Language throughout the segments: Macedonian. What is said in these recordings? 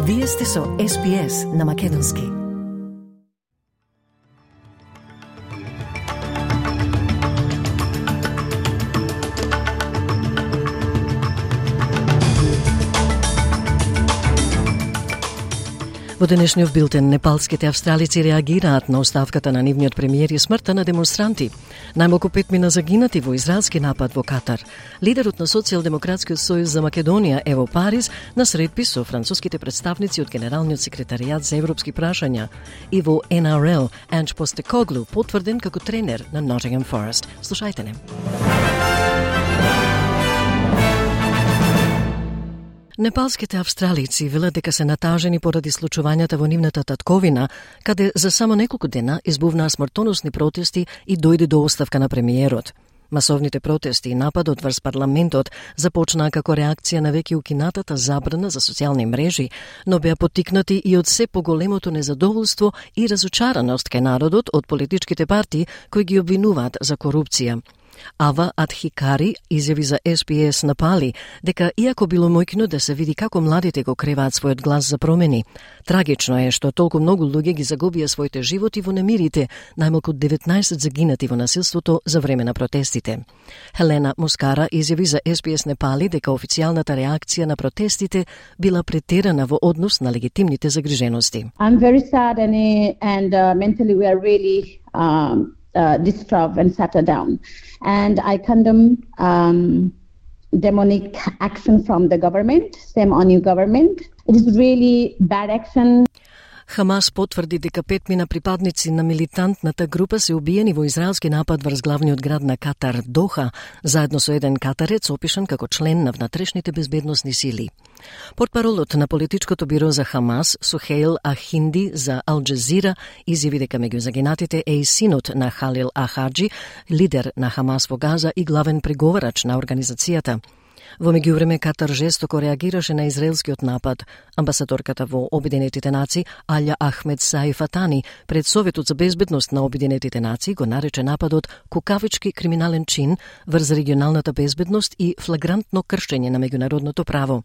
Вие сте со SPS на Македонски. Во денешниот билтен, непалските австралици реагираат на оставката на нивниот премиер и смртта на демонстранти. Најмалку 5 мина загинати во израелски напад во Катар. Лидерот на Социјалдемократскиот сојуз за Македонија е во Париз на средби со француските представници од Генералниот секретаријат за европски прашања и во NRL Анж Постекоглу потврден како тренер на Nottingham Forest. Слушајте не. Непалските австралици велат дека се натажени поради случувањата во нивната татковина, каде за само неколку дена избувнаа смртоносни протести и дојде до оставка на премиерот. Масовните протести и нападот врз парламентот започнаа како реакција на веќе укинатата забрана за социјални мрежи, но беа поттикнати и од се поголемото незадоволство и разочараност кај народот од политичките партии кои ги обвинуваат за корупција. Ава Адхикари изјави за SPS на Пали дека иако било мојкно да се види како младите го креваат својот глас за промени, трагично е што толку многу луѓе ги загубија своите животи во немирите, најмалку 19 загинати во насилството за време на протестите. Хелена Мускара изјави за SPS Непали дека официјалната реакција на протестите била претерана во однос на легитимните загрижености. I'm very sad and mentally we are really disturbed and shattered down. And I condemn demonic action from the government, same on your government. It is really bad action. Хамас потврди дека 5 мина припадници на милитантната група се убиени во израелски напад врз главниот град на Катар, Доха, заедно со еден катарец опишан како член на внатрешните безбедносни сили. Портпаролот на политичкото биро за Хамас, Сухейл Ахинди за Ал Джазира, изјави дека меѓу загинатите е и синот на Халил Ахаджи, лидер на Хамас во Газа и главен преговарач на организацијата. Во меѓувреме Катар жестоко реагираше на израелскиот напад. Амбасадорката во Обединетите нации Алја Ахмед Саифатани пред Советот за безбедност на Обединетите нации го нарече нападот кукавички криминален чин врз регионалната безбедност и флагрантно кршење на меѓународното право.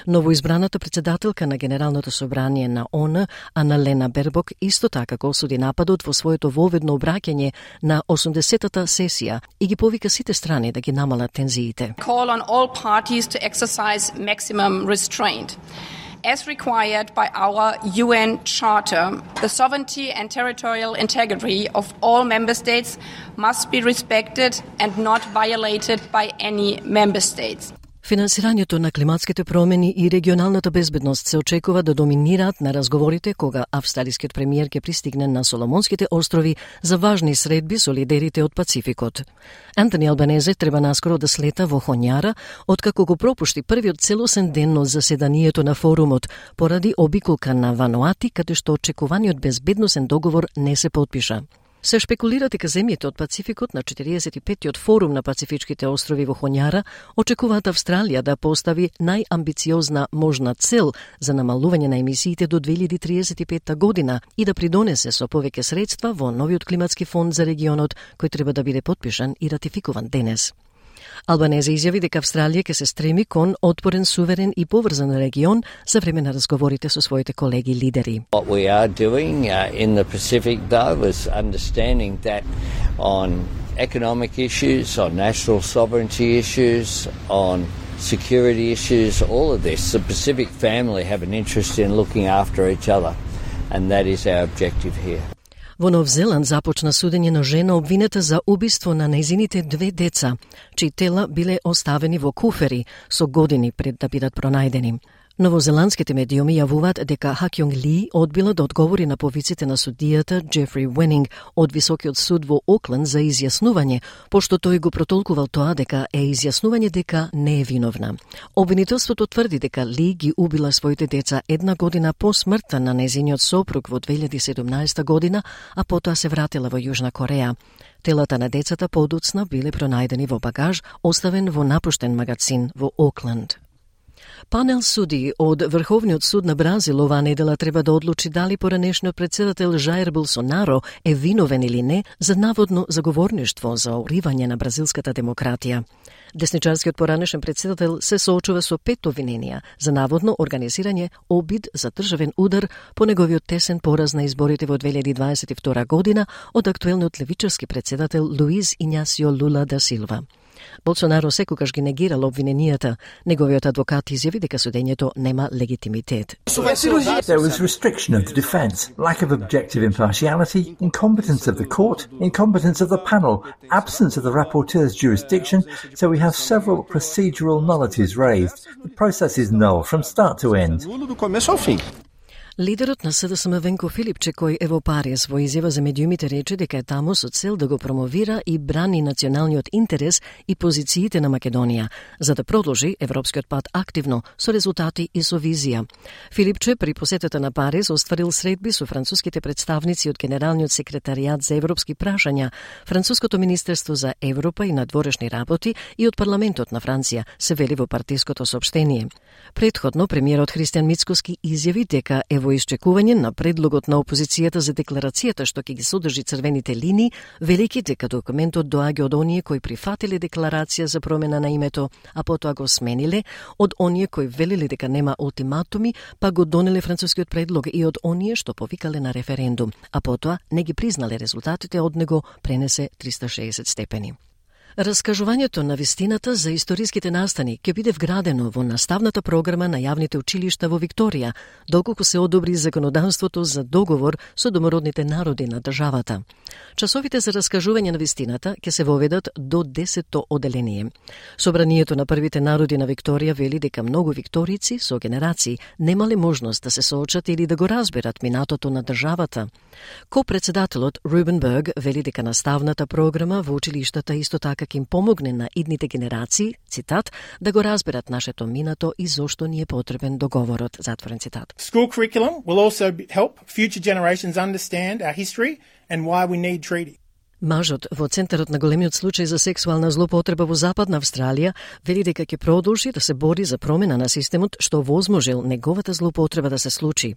Новоизбраната председателка на Генералното собрание на ООН, Аналена Бербок, исто така го осуди нападот во своето воведно обраќање на 80-та сесија и ги повика сите страни да ги намалат тензиите. Call on all parties to exercise maximum restraint. As required by our UN Charter, the sovereignty and territorial integrity of all member states must be respected and not violated by any member states. Финансирањето на климатските промени и регионалната безбедност се очекува да доминираат на разговорите кога австралискиот премиер ќе пристигне на Соломонските острови за важни средби со лидерите од Пацификот. Антони Албанезе треба наскоро да слета во Хоњара, откако го пропушти првиот целосен ден од заседанието на форумот поради обиколка на Вануати, каде што очекуваниот безбедносен договор не се потпиша. Се шпекулира дека земјите од Пацификот на 45-тиот форум на Пацифичките острови во Хоњара очекуваат Австралија да постави најамбициозна можна цел за намалување на емисиите до 2035 година и да придонесе со повеќе средства во новиот климатски фонд за регионот кој треба да биде потпишан и ратификуван денес. Албанезе изјави дека Австралија ќе се стреми кон отпорен, суверен и поврзан регион за време на разговорите со своите колеги лидери. What we are doing in the Pacific though is understanding that on economic issues, on national sovereignty issues, on security issues, all of this, the Pacific family have an interest in looking after each other, and that is our objective here. Во Нов Зеланд започна судење на жена обвинета за убиство на нејзините 2 деца, чии тела биле оставени во куфери со години пред да бидат пронајдени. Новозеландските медиуми јавуваат дека Хакјонг Ли одбила да одговори на повиците на судијата Джефри Уенинг од Високиот суд во Окленд за изјаснување, пошто тој го протолкувал тоа дека е изјаснување дека не е виновна. Обвинителството тврди дека Ли ги убила своите деца 1 година по смртта на нејзиниот сопруг во 2017 година, а потоа се вратила во Јужна Кореја. Телата на децата подоцна биле пронајдени во багаж, оставен во напуштен магазин во Окленд. Панел суди од Врховниот суд на Бразил оваа недела треба да одлучи дали поранешниот председател Жаир Болсонаро е виновен или не за наводно заговорништво за уривање на бразилската демократија. Десничарскиот поранешен председател се соочува со 5 обвиненија за наводно организирање обид за државен удар по неговиот тесен пораз на изборите во 2022 година од актуелниот левичарски председател Луиз Ињасио Лула да Силва. Болсонаро секогаш ги негирал обвиненијата. Неговиот адвокат изјави дека судењето нема легитимитет. There was restriction of the defense, lack of objective impartiality, incompetence of the court, incompetence of the panel, absence of the rapporteur's jurisdiction, so we have several procedural nullities raised. The process is null from start to end. Лидерот на СДСМ Венко Филипче, кој е во Париз, во изјава за медиумите рече дека е таму со цел да го промовира и брани националниот интерес и позициите на Македонија, за да продолжи европскиот пат активно, со резултати и со визија. Филипче при посетата на Париз остварил средби со француските представници од Генералниот секретаријат за европски прашања, Француското министерство за Европа и надворешни работи и од парламентот на Франција, се вели во партиското соопштение. Претходно, премиерот Христијан Мицкоски изјави дека е во исчекување на предлогот на опозицијата за декларацијата што ќе ги содржи црвените линии, велики дека документот доаѓа од оние кои прифатиле декларација за промена на името, а потоа го смениле, од оние кои велеле дека нема ултиматуми, па го донеле францускиот предлог и од оние што повикале на референдум, а потоа не ги признале резултатите од него, пренесе 360 степени. Раскажувањето на вистината за историските настани ќе биде вградено во наставната програма на јавните училишта во Викторија, доколку се одобри законодавството за договор со домородните народи на државата. Часовите за раскажување на вистината ќе се воведат до 10-то оделение. Собранието на првите народи на Викторија вели дека многу викторици со генерации немале можност да се соочат или да го разберат минатото на државата. Ко-председателот Рубен Берг вели дека наставната програма во училиштата исто така ќе им помогне на идните генерации, цитат, да го разберат нашето минато и зошто ни е потребен договорот, затворен цитат. School curriculum will also help future generations understand our history and why we need treaty. Мажот во центарот на големиот случај за сексуална злоупотреба во Западна Австралија вели дека ќе продолжи да се бори за промена на системот што возможил неговата злоупотреба да се случи.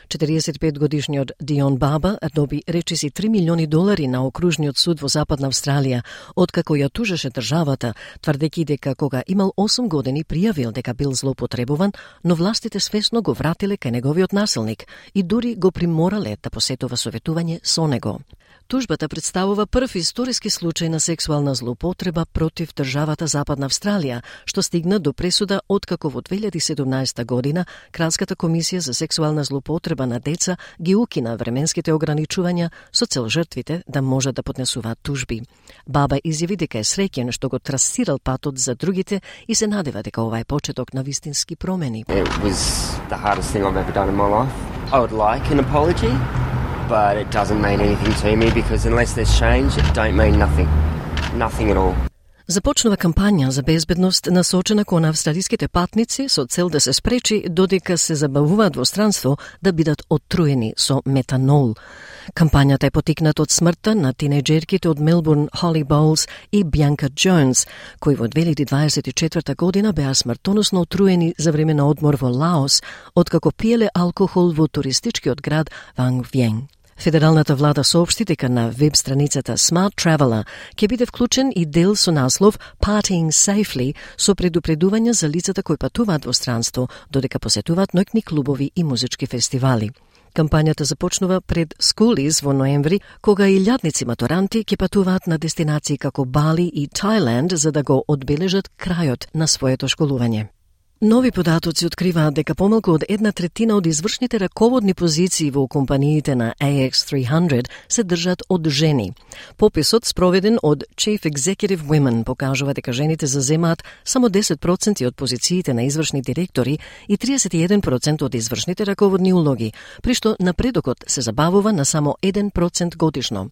45-годишниот Дион Баба доби речиси $3 милиони на окружниот суд во Западна Австралија, откако ја тужеше државата, тврдејќи дека кога имал 8 години пријавил дека бил злоупотребуван, но властите свесно го вратиле кај неговиот насилник и дури го приморале да посетува советување со него. Тужбата представува прв историски случај на сексуална злоупотреба против државата Западна Австралија, што стигна до пресуда откако во 2017 година Кралската комисија за сексуална злоупотреба на деца ги укина временските ограничувања со цел жртвите да можат да поднесуваат тужби. Баба изјави дека е среќен што го трасирал патот за другите и се надева дека ова е почеток на вистински промени. It was the hardest thing I've ever done in my life. I would like an apology, but it doesn't mean anything to me because unless there's change, it don't mean nothing. Nothing at all. Започнува кампања за безбедност насочена кон австралиските патници со цел да се спречи додека се забавуваат во странство да бидат оттруени со метанол. Кампањата е потикната од смртта на тинејџерките од Мелбурн Холли Боулс и Бјанка Джонс, кои во 2024 година беа смртоносно отруени за време на одмор во Лаос, откако пиеле алкохол во туристичкиот град Ванг Виен. Федералната влада соопшти дека на веб страницата Smart Traveller ќе биде вклучен и дел со наслов Partying Safely со предупредувања за лицата кои патуваат во странство, додека посетуваат ноќни клубови и музички фестивали. Кампањата започнува пред Schoolies во ноември, кога илјадници матуранти ќе патуваат на дестинации како Бали и Таиланд за да го одбележат крајот на своето школување. Нови податоци откриваат дека помалку од 1/3 од извршните раководни позиции во компаниите на AX300 се држат од жени. Пописот спроведен од Chief Executive Women покажува дека жените заземаат само 10% од позициите на извршни директори и 31% од извршните раководни улоги, при што напредокот се забавува на само 1% годишно.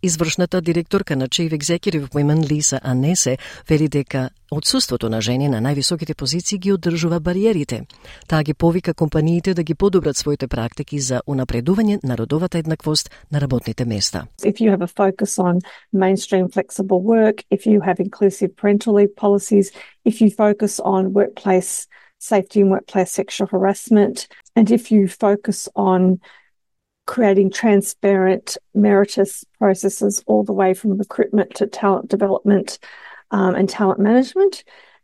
Извршната директорка на Chief Executive Women Лиса Анесе вели дека отсуството на жени на највисоките позиции ги одржува бариерите. Таа ги повика компаниите да ги подобрат своите практики за унапредување на родовата еднаквост на работните места. If you have a focus on mainstream flexible work, if you have inclusive parental leave policies, if you focus on workplace safety in workplace sexual harassment. And if you focus on creating transparent, meritorious processes all the way from recruitment to talent development and talent management,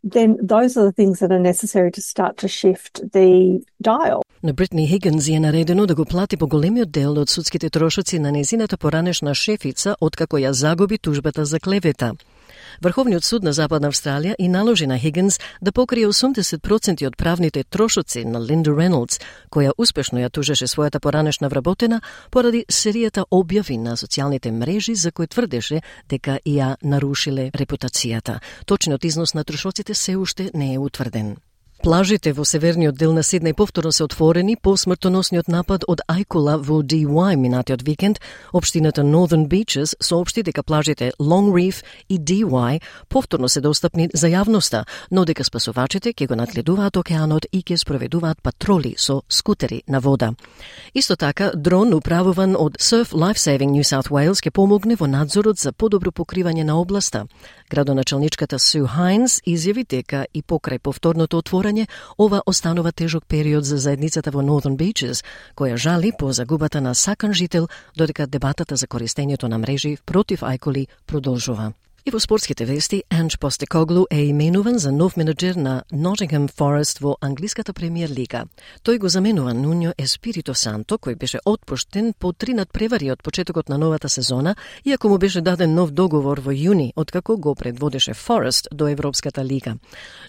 then those are the things that are necessary to start to shift the dial. На Бритни Хигинс е наредено да го плати поголемиот дел од судските трошоци на незината поранешна шефица откако ја загуби тужбата за клевета. Врховниот суд на Западна Австралија и наложи на Хигинс да покрие 80% од правните трошоци на Линда Рейнолдс, која успешно ја тужеше својата поранешна вработена поради серијата објави на социјалните мрежи за кои тврдеше дека ја нарушиле репутацијата. Точниот износ на трошоците се уште не е утврден. Плажите во северниот дел на Сиднеј повторно се отворени по смртоносниот напад од ајкула во DY минатиот викенд. Општината Northern Beaches соопшти дека плажите Long Reef и DY повторно се достапни за јавноста, но дека спасувачите ќе го надгледуваат океанот и ќе спроведуваат патроли со скутери на вода. Исто така, дрон управуван од Surf Lifesaving New South Wales ќе помогне во надзорот за подобро покривање на областа. Градоначалничката Су Хайнс изјави дека и покрај повторното отворање ова останува тежок период за заедницата во Northern Beaches, која жали по загубата на сакан жител, додека дебатата за користењето на мрежи против ајкули продолжува. И во спортските вести, Анж Постекоглу е именуван за нов менеджер на Nottingham Forest во англиската премиер лига. Тој го заменува Нуньо Еспирито Санто, кој беше отпуштен по 3 надпревари од почетокот на новата сезона, иако му беше даден нов договор во јуни, откако го предводеше Forest до Европската лига.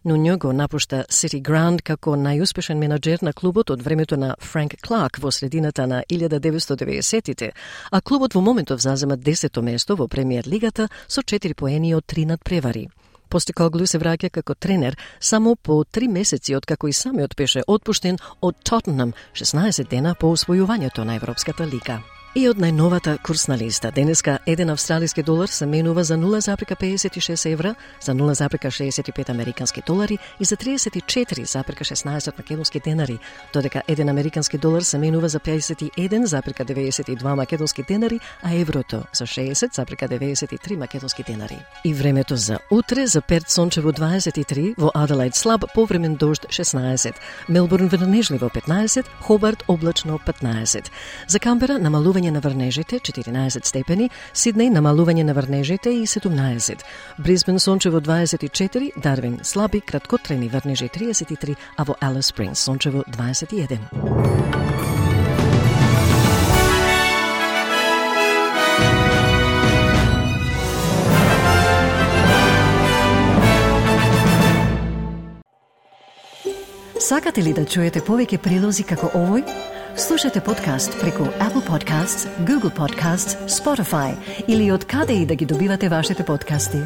Нуньо го напушта City Ground како најуспешен менеджер на клубот од времето на Франк Кларк во средината на 1990-тите, а клубот во моментов зазема 10-то место во премиер лигата со 4 поени од 3 надпревари. Постекоглу се враќа како тренер само по 3 месеци откако и самиот беше отпуштен од Тоттенхам 16 дена по освојувањето на Европската лига. И од најновата курсна листа, денеска 1 австралиски долар се менува за 0,56 евра, за 0,65 американски долари и за 34,16 македонски денари, додека 1 американски долар се менува за 51,92 македонски денари, а еврото за 60,93 македонски денари. И времето за утре, за Перт сончево 23, во Аделаид слаб повремен дожд 16, Мелбурн врнежливо 15, Хобарт облачно 15. За Камбера намалување на врнежите 14 степени, Сиднеј намалување на врнежите и 17. Брисбен сончево 24, Дарвин слаби краткотрени врнежи 33, а во Алис Спрингс сончево 21. Сакате ли да чуете повеќе прилози како овој? Слушате подкаст преку Apple Podcasts, Google Podcasts, Spotify или од каде и да ги добивате вашите подкасти.